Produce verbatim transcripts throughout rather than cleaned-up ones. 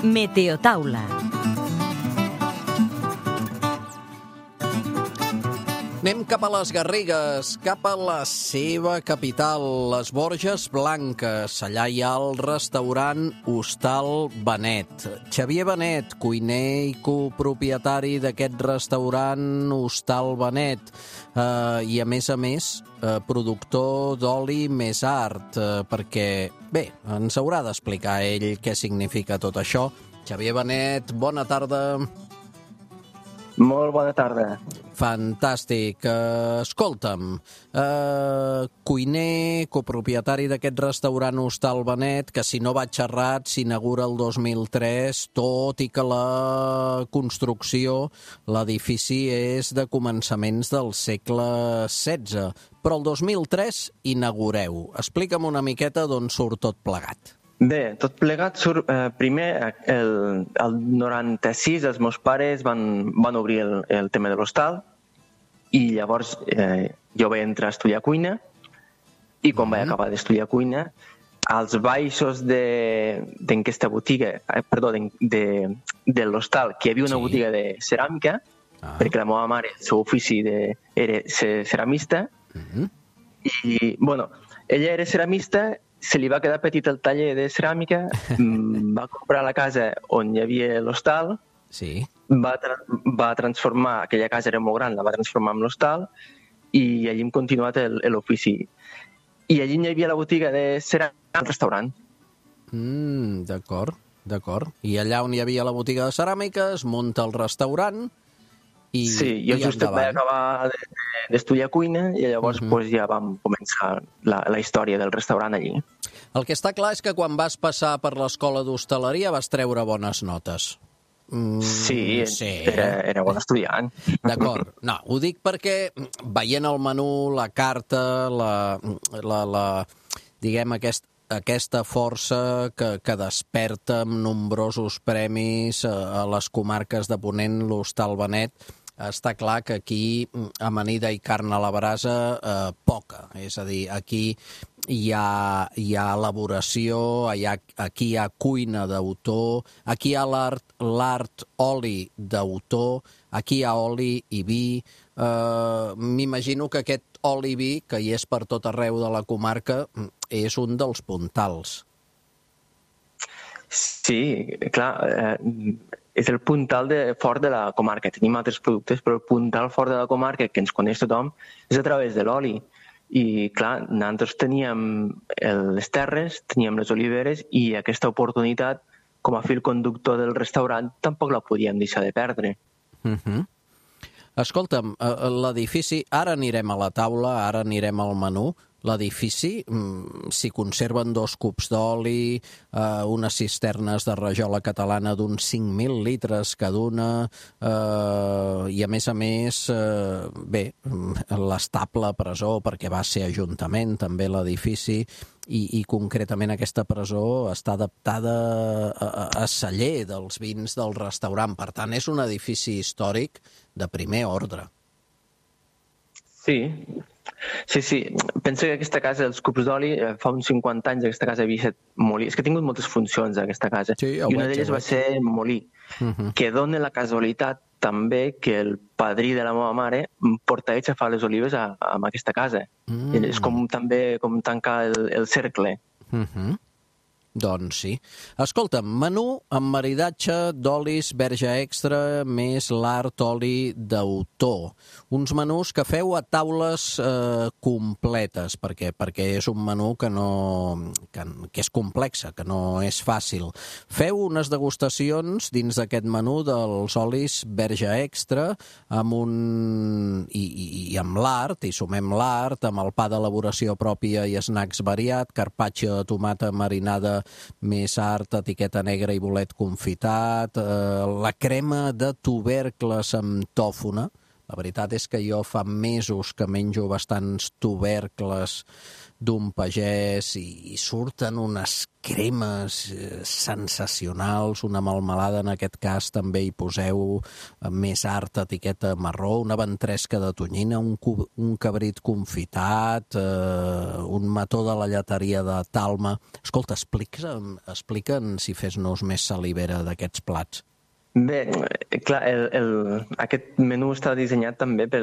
Meteotaula. Anem cap a les Garrigues, cap a la seva capital, les Borges Blanques. Allà hi ha el restaurant Hostal Benet. Xavier Benet, cuiner i copropietari d'aquest restaurant Hostal Benet. Uh, I, a més a més, uh, productor d'oli més art, uh, perquè, bé, ens haurà d'explicar ell què significa tot això. Xavier Benet, bona tarda. Molt bona tarda. Fantàstic. Uh, escolta'm, uh, cuiner, copropietari d'aquest restaurant Hostal Benet, que si no vaig errat s'inaugura el dos mil tres, tot i que la construcció, l'edifici és de començaments del segle setze. Però el dos mil tres inaugureu. Explica'm una miqueta d'on surt tot plegat. Bé, tot plegat surt... Eh, primer, el, el noranta-sis, els meus pares van, van obrir el, el tema de l'hostal i llavors eh, jo vaig entrar a estudiar cuina i quan mm-hmm. vaig acabar d'estudiar cuina, als baixos d'aquesta botiga, eh, perdó, de, de, de l'hostal, que hi havia una sí. botiga de ceràmica, ah. perquè la meva mare, el seu ofici de, era ser ceramista, mm-hmm. i, bueno, ella era ceramista. Se li va quedar petit el taller de ceràmica, va comprar la casa on hi havia l'hostal, sí. va, tra va transformar, aquella casa era molt gran, la va transformar en l'hostal i allí hem continuat l'ofici. I allí hi havia la botiga de ceràmica, el restaurant. Mm, d'acord, d'acord. I allà on hi havia la botiga de ceràmica es munta el restaurant i sí, jo just vaig acabar d'estudiar cuina i llavors uh-huh. pues, ja vam començar la, la història del restaurant allí. El que està clar és que quan vas passar per l'escola d'hostaleria vas treure bones notes. Mm, sí, sí, era, era bon estudiant. D'acord. No, ho dic perquè veient el menú, la carta, la, la, la diguem, aquest, aquesta força que, que desperta amb nombrosos premis a, a les comarques de Ponent, l'Hostal Benet, està clar que aquí amanida i carn a la brasa eh, poca. És a dir, aquí hi ha, hi ha elaboració, hi ha, aquí hi ha cuina d'autor, aquí hi ha l'art, l'art oli d'autor, aquí hi ha oli i vi. Eh, M'imagino que aquest oli i vi, que hi és per tot arreu de la comarca, és un dels puntals. Sí, clar, eh, és el puntal de, fort de la comarca. Tenim altres productes, però el puntal fort de la comarca, que ens coneix tothom, és a través de l'oli. I, clar, nosaltres teníem les terres, teníem les oliveres i aquesta oportunitat, com a fil conductor del restaurant, tampoc la podíem deixar de perdre. Uh-huh. Escolta'm, l'edifici, ara anirem a la taula, ara anirem al menú. L'edifici, s'hi conserven dos cups d'oli, eh, unes cisternes de rajola catalana d'uns cinc mil litres cada una, eh, i a més a més, eh, bé, l'estable presó, perquè va ser ajuntament també l'edifici, i, i concretament aquesta presó està adaptada a, a celler dels vins del restaurant. Per tant, és un edifici històric de primer ordre. Sí, Sí, sí. Penso que aquesta casa, els cups d'oli, fa uns cinquanta anys aquesta casa havia estat molí. És que ha tingut moltes funcions, aquesta casa. Sí, I una d'elles va ser molí, uh-huh. que dona la casualitat també que el padrí de la meva mare porta ells a fer les olives a, a aquesta casa. Uh-huh. És com també com tancar el, el cercle. Uh-huh. Doncs sí. Escolta'm, menú amb maridatge d'olis verge extra més l'art oli d'autor. Uns menús que feu a taules eh, completes, perquè, perquè és un menú que, no, que, que és complexa, que no és fàcil. Feu unes degustacions dins d'aquest menú dels olis verge extra amb un... i, i, i amb l'art, i sumem l'art, amb el pa d'elaboració pròpia i snacks variat, carpaccio de tomata marinada més art, etiqueta negra i bolet confitat, eh, la crema de tubercles amb tòfona. La veritat és que jo fa mesos que menjo bastants tubercles d'un pagès i, i surten unes cremes eh, sensacionals, una melmelada, en aquest cas també hi poseu eh, més art, etiqueta marró, una ventresca de tonyina, un, cu- un cabrit confitat, eh, un mató de la lleteria de Talma. Escolta, explica'm, explica'm si fes-nos més salivera d'aquests plats. Bé, eh, clar, el, el, aquest menú està dissenyat també per,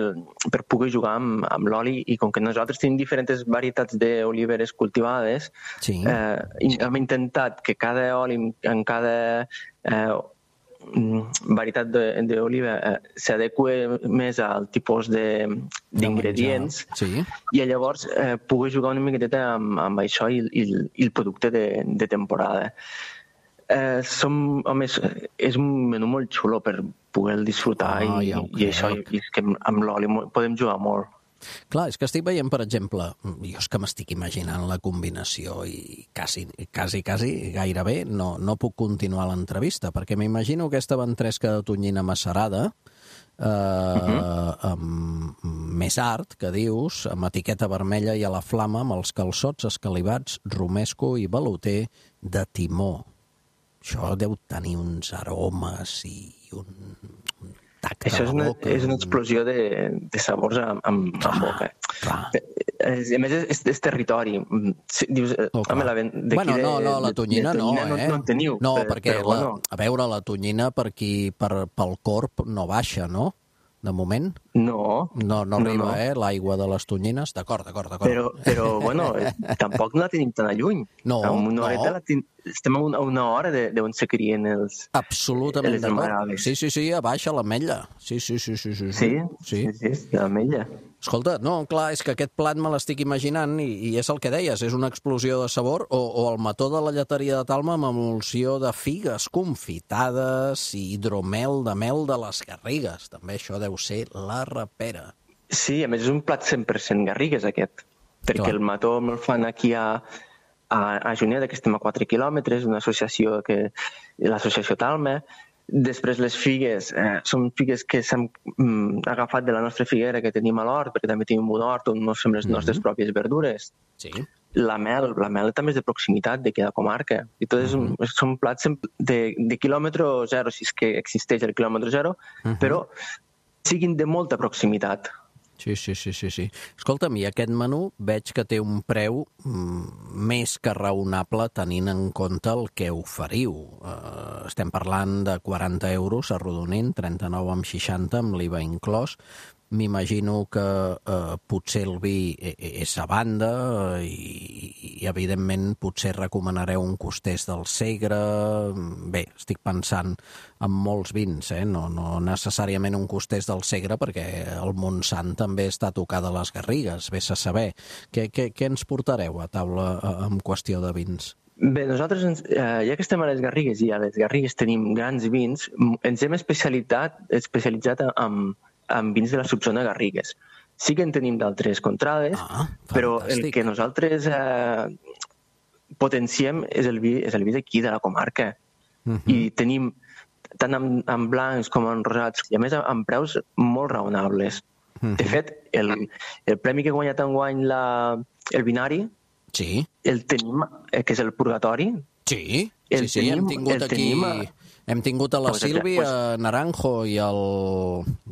per poder jugar amb, amb l'oli i com que nosaltres tenim diferents varietats d'oliveres cultivades, Sí. eh, i hem intentat que cada oli en cada eh, varietat de- d'oliva eh, s'adequa més al tipus de- d'ingredients De menjar. Sí. i llavors eh, poder jugar una miqueteta amb, amb això i, i, i el producte de, de temporada. Eh, som, home, és, és un menú molt xulo per poder disfrutar Ah, i, ja ho i això, crec. i és que amb l'oli mo- podem jugar molt. Clar, és que estic veient, per exemple, jo és que m'estic imaginant la combinació i quasi, quasi, quasi gairebé no, no puc continuar l'entrevista, perquè m'imagino aquesta ventresca de tonyina macerada, eh, uh -huh. amb més art, que dius, amb etiqueta vermella i a la flama, amb els calçots escalivats, romesco i veluter de timó. Això deu tenir uns aromes i un, un tacte Això és a la una, boca. és una explosió de, de sabors amb, amb, Clar, amb boca. clar. Eh, A més, és, és territori. Si, dius, eh, Oh, home, la, ven- d'aquí bueno, de, no, no, la de- tonyina, de tonyina no, eh? no, no en teniu. No, però, perquè, però, la, bueno, a veure, la tonyina per aquí, per, pel corp no baixa, no? De moment. no, No, no arriba, no. eh, l'aigua de les tonyines. D'acord, d'acord, d'acord. Però, però bueno, eh, tampoc no la tenim tan a lluny. No, Amb una no. horeta la ten... estem a una, a una hora de- d'on se crien els, Absolutament les d'acord. amagaves. Sí, sí, sí, a baixa l'ametlla. Sí, sí, sí, sí, sí. Sí, sí. sí, sí, l'ametlla. Escolta, no, clar, és que aquest plat me l'estic imaginant i, i és el que deies, és una explosió de sabor o, o el mató de la lleteria de Talma amb emulsió de figues confitades i hidromel de mel de les Garrigues. També això deu ser la rapera. Sí, a més és un plat cent per cent Garrigues aquest, perquè Clar. el mató me'l fan aquí a, a, a Juneda, que estem a quatre quilòmetres, una associació que l'associació Talma. Després les figues, eh, són figues que s'han mm, agafat de la nostra figuera que tenim a l'hort, perquè també tenim un hort on nos fem les nostres Mhm. pròpies verdures. Sí. La mel, la mel també és de proximitat de cada comarca. I tot és un, són plats de, de quilòmetre zero, si és que existeix el quilòmetre zero, Mhm. però siguin de molta proximitat. Sí, sí, sí, sí, sí. Escolta'm, i aquest menú veig que té un preu mm, més que raonable tenint en compte el que oferiu. Uh, estem parlant de quaranta euros arrodonint, trenta-nou amb seixanta amb l'I V A inclòs. M'imagino que eh, potser el vi e- e- és a banda eh, i, i, evidentment, potser recomanareu un costès del Segre. Bé, estic pensant en molts vins, eh? no, no necessàriament un costès del Segre, perquè el Montsant també està tocat a les Garrigues, vés a saber. Què, què, què ens portareu a taula eh, en qüestió de vins? Bé, nosaltres, ens, eh, ja que estem a les Garrigues i a les Garrigues tenim grans vins, m- ens hem especialitzat, especialitzat en, en vins de la subzona Garrigues. Sí que en tenim d'altres contrades, Ah, però el fantàstic. que nosaltres eh, potenciem és el vi, és el vi d'aquí, de la comarca. Mhm. I tenim tant en, en blancs com en rosats, i a més amb preus molt raonables. Mhm. De fet, el, el premi que ha guanyat enguany la, el binari, Sí, el tenim, eh, que és el Purgatori. sí, El sí, sí, hem tenim- tingut el aquí... tenim a- Hem tingut a la Pues, Sílvia pues- Naranjo i el...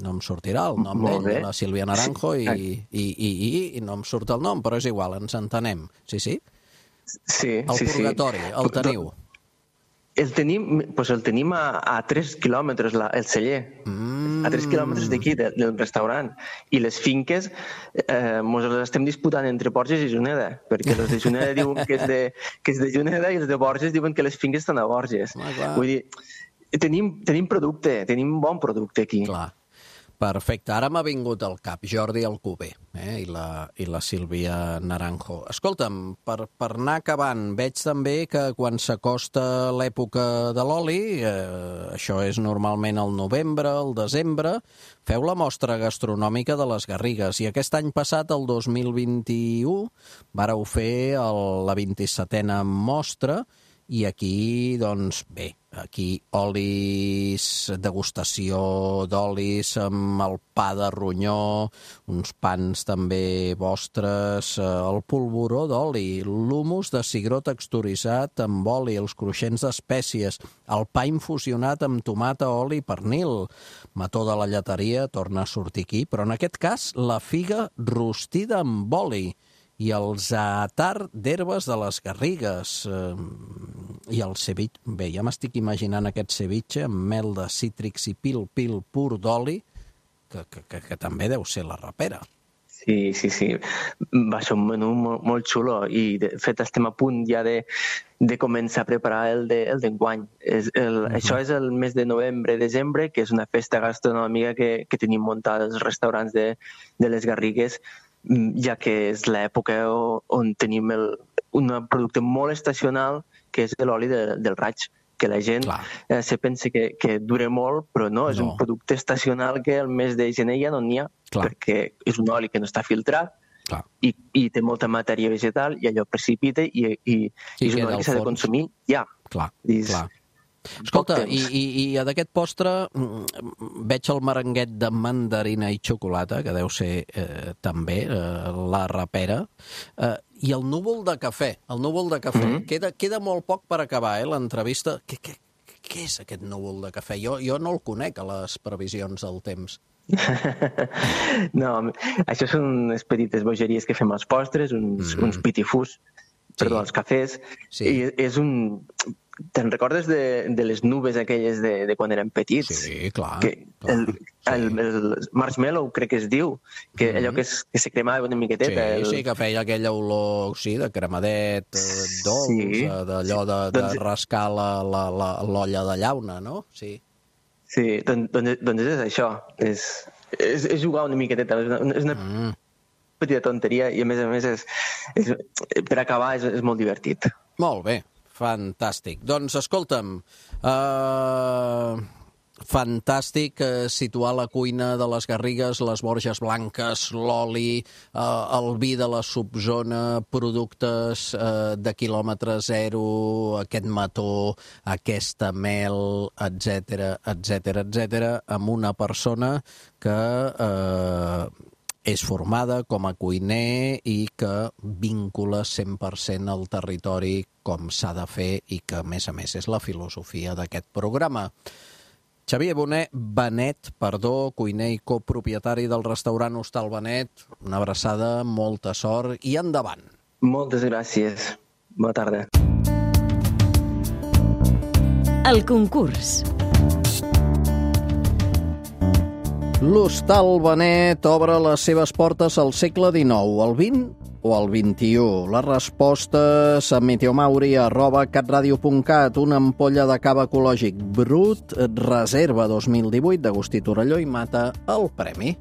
No em sortirà el nom Molt d'ell, bé. la Sílvia Naranjo, i, Sí. i, i, i, i no em surt el nom, però és igual, ens entenem. Sí, sí? Sí, El sí, Purgatori, sí. el teniu. El tenim, pues el tenim a, a tres quilòmetres, la, el celler. Mm. A tres quilòmetres d'aquí, de, del restaurant. I les finques eh, mos les estem disputant entre Borges i Juneda, perquè els de Juneda diuen que és de, que és de Juneda i els de Borges diuen que les finques estan a Borges. Ah, clar. Vull dir, tenim, tenim producte, tenim bon producte aquí. Clar. Perfecte. Ara m'ha vingut al cap Jordi Alcover eh? I, la, i la Sílvia Naranjo. Escolta'm, per, per anar acabant, veig també que quan s'acosta l'època de l'oli, eh, això és normalment el novembre, el desembre, feu la mostra gastronòmica de les Garrigues. I aquest any passat, el dos mil vint-i-u, vàreu fer el, la vint-i-setena mostra I aquí, doncs, bé, aquí olis, degustació d'olis amb el pa de ronyó, uns pans també vostres, el polvoró d'oli, l'humus de cigró texturitzat amb oli, els cruixents d'espècies, el pa infusionat amb tomata, oli i pernil. Mató de la lleteria torna a sortir aquí, però en aquest cas la figa rostida amb oli i el zaatar d'herbes de les Garrigues. Eh, I el ceviche, bé, ja m'estic imaginant aquest ceviche amb mel de cítrics i pil-pil pur d'oli, que, que, que, que també deu ser la rapera. Sí, sí, sí. Va ser un menú molt, molt xulo i de fet estem a punt ja de, de començar a preparar el de, el d'enguany. És el, uh-huh. Això és el mes de novembre, desembre, que és una festa gastronòmica que, que tenim muntada als restaurants de, de les Garrigues, ja que és l'època on tenim el, un producte molt estacional, que és l'oli de, del raig, que la gent eh, se pensa que, que dura molt, però no, és no. un producte estacional que el mes de gener ja no n'hi ha, Clar. perquè és un oli que no està filtrat i, i té molta matèria vegetal i allò precipita i, i, I, i és un oli que s'ha de consumir ja. Clar, és, clar. Escolta, i, i, i d'aquest postre veig el merenguet de mandarina i xocolata, que deu ser eh, també eh, la rapera, eh, i el núvol de cafè. El núvol de cafè. Mm-hmm. Queda, queda molt poc per acabar, eh, l'entrevista. Què, què, què és aquest núvol de cafè? Jo, jo no el conec, a les previsions del temps. No, això són unes petites bogeries que fem als postres, uns, mm. uns pitifús, perdó, sí. als cafès. Sí. I és un... Te'n recordes de, de les nubes aquelles de, de quan érem petits? Sí, clar. Que clar el, sí. el, el marshmallow, crec que es diu, que mm-hmm. allò que, es, que se cremava una miqueteta. Sí, el... sí, que feia aquella olor, sí, de cremadet, dolç, sí. d'allò de, de doncs... rascar la, la, la, l'olla de llauna, no? Sí. Sí, doncs, doncs, doncs és això. És, és, és jugar una miqueteta. És una, és una mm. petita tonteria i, a més a més, és, és, per acabar, és, és molt divertit. Molt bé. Fantàstic. Doncs, escolta'm, uh, fantàstic uh, situar la cuina de les Garrigues, les Borges Blanques, l'oli, uh, el vi de la subzona, productes uh, de quilòmetre zero, aquest mató, aquesta mel, etcètera, etcètera, etcètera, amb una persona que... Uh, és formada com a cuiner i que vincula cent per cent al territori com s'ha de fer i que, a més a més, és la filosofia d'aquest programa. Xavier Bonet, Benet, perdó, cuiner i copropietari del restaurant Hostal Benet, una abraçada, molta sort i endavant. Moltes gràcies. Bona tarda. El concurs. L'Hostal Benet obre les seves portes al segle dinou, al vint o al vint-i-u. Les respostes a meteomauri arroba catradio punt cat, una ampolla de cava ecològic brut, reserva dos mil divuit d'Agustí Torelló i Mata el premi.